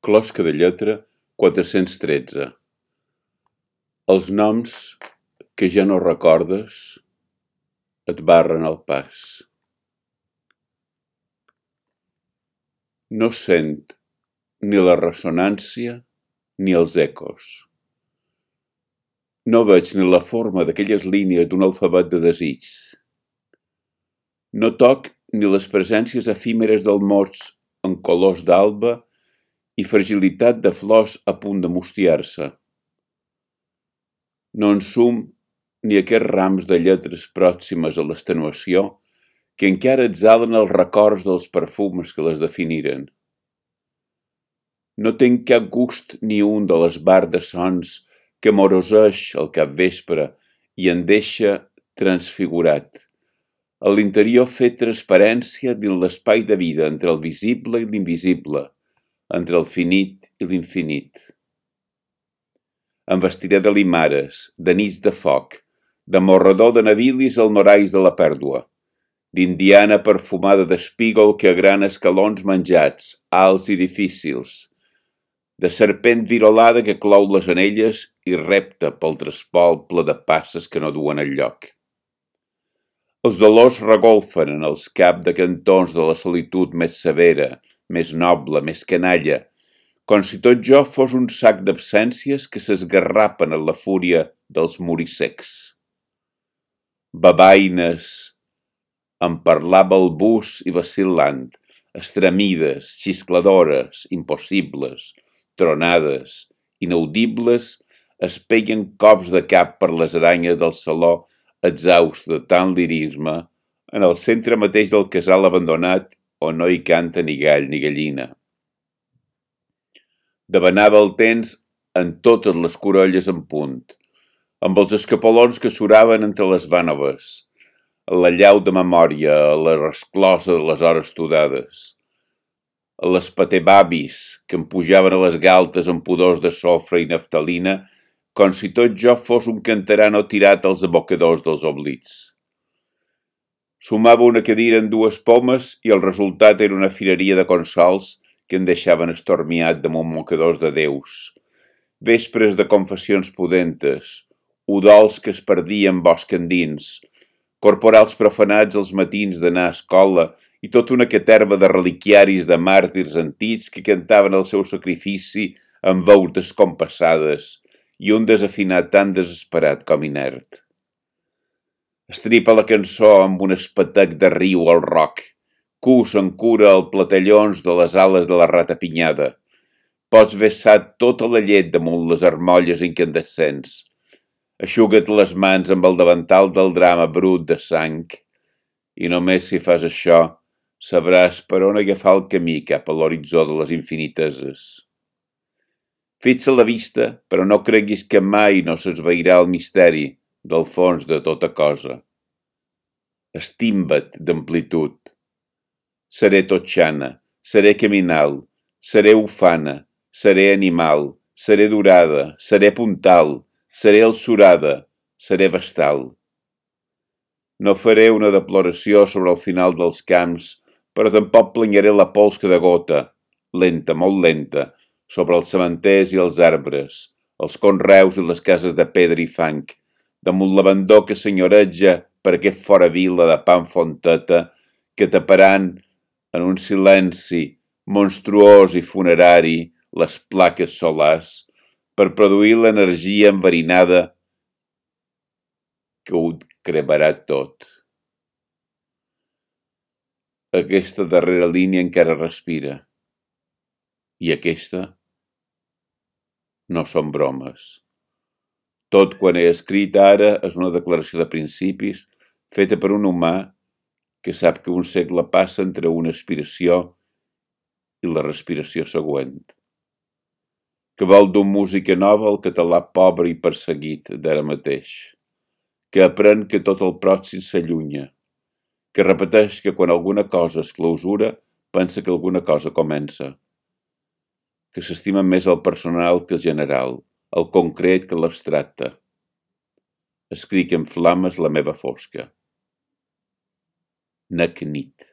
Closca de lletra 413. Els noms que ja no recordes et barren el pas. No sent ni la ressonància ni els ecos. No veig ni la forma d'aquelles línies d'un alfabet de desigs. No toc ni les presències efímeres del mots en colors d'alba i fragilitat de flors a punt de mustiar-se. No ensum ni aquests rams de lletres pròximes a l'extenuació que encara exhalen els records dels perfums que les definiren. No tenc cap gust ni un de l'esbart de sons que moroseix al capvespre i en deixa transfigurat. A l'interior fer transparència dins l'espai de vida entre el visible i l'invisible, entre el finit i l'infinit. Em vestiré de limares, de nits de foc, de morredor de navilis al norais de la pèrdua, d'indiana perfumada d'espígol que agrana escalons menjats, alts i difícils, de serpent virolada que clou les anelles i repta pel trespol ple de passes que no duen enlloc. Els dolors regolfen en els caps de cantons de la solitud més severa, més noble, més canalla, com si tot jo fos un sac d'absències que s'esgarrapen en la fúria dels morissecs. Babaines, en parlar balbús i vacil·lant, estremides, xiscladores, impossibles, tronades, inaudibles, es peguen cops de cap per les aranyes del saló exhaust de tant lirisme, en el centre mateix del casal abandonat on no hi canta ni gall ni gallina. Devanava el temps en totes les corolles en punt, amb els escapolons que suraven entre les vànoves, la llau de memòria, la resclosa de les hores tudades, les patebabis que em pujaven a les galtes amb pudors de sofre i naftalina, com si tot jo fos un canterano tirat als abocadors dels oblits. Sumava una cadira en dues pomes i el resultat era una fireria de consols que em deixaven estormiat damunt mocadors de déus, vespres de confessions pudentes, udols que es perdien bosc endins, corporals profanats els matins d'anar a escola i tota una caterva de reliquiaris de màrtirs antics que cantaven el seu sacrifici amb veus descompassades i un desafinat tan desesperat com inert. Estripa la cançó amb un espetec de riu al roc, cus en cura el platellons de les ales de la ratapinyada. Pots vessar tota la llet damunt les armolles incandescents. Eixuga't les mans amb el davantal del drama brut de sang i només si fas això sabràs per on agafar el camí cap a l'horitzó de les infiniteses. Fixa la vista, però no creguis que mai no s'esvairà el misteri del fons de tota cosa. Estimba't d'amplitud. Seré totxana, seré caminal, seré ufana, seré animal, seré durada, seré puntal, seré alçurada, seré vestal. No faré una deploració sobre el final dels camps, però tampoc planyaré la pols que degota, lenta, molt lenta, sobre els cementers i els arbres, els conreus i les cases de pedra i fang, damunt l'abandó que senyoreja per aquest fora vila de pa en fonteta que taparan en un silenci monstruós i funerari les plaques solars per produir l'energia enverinada que ho cremarà tot. Aquesta darrera línia encara respira. I aquesta no són bromes. Tot quan he escrit ara és una declaració de principis feta per un humà que sap que un segle passa entre una aspiració i la respiració següent. Que vol d'un música nova el català pobre i perseguit d'ara mateix. Que aprèn que tot el pròxim s'allunya. Que repeteix que quan alguna cosa es clausura, pensa que alguna cosa comença. Que s'estima més el personal que el general, el concret que l'abstracte. Escric en flames la meva fosca. Nec nit.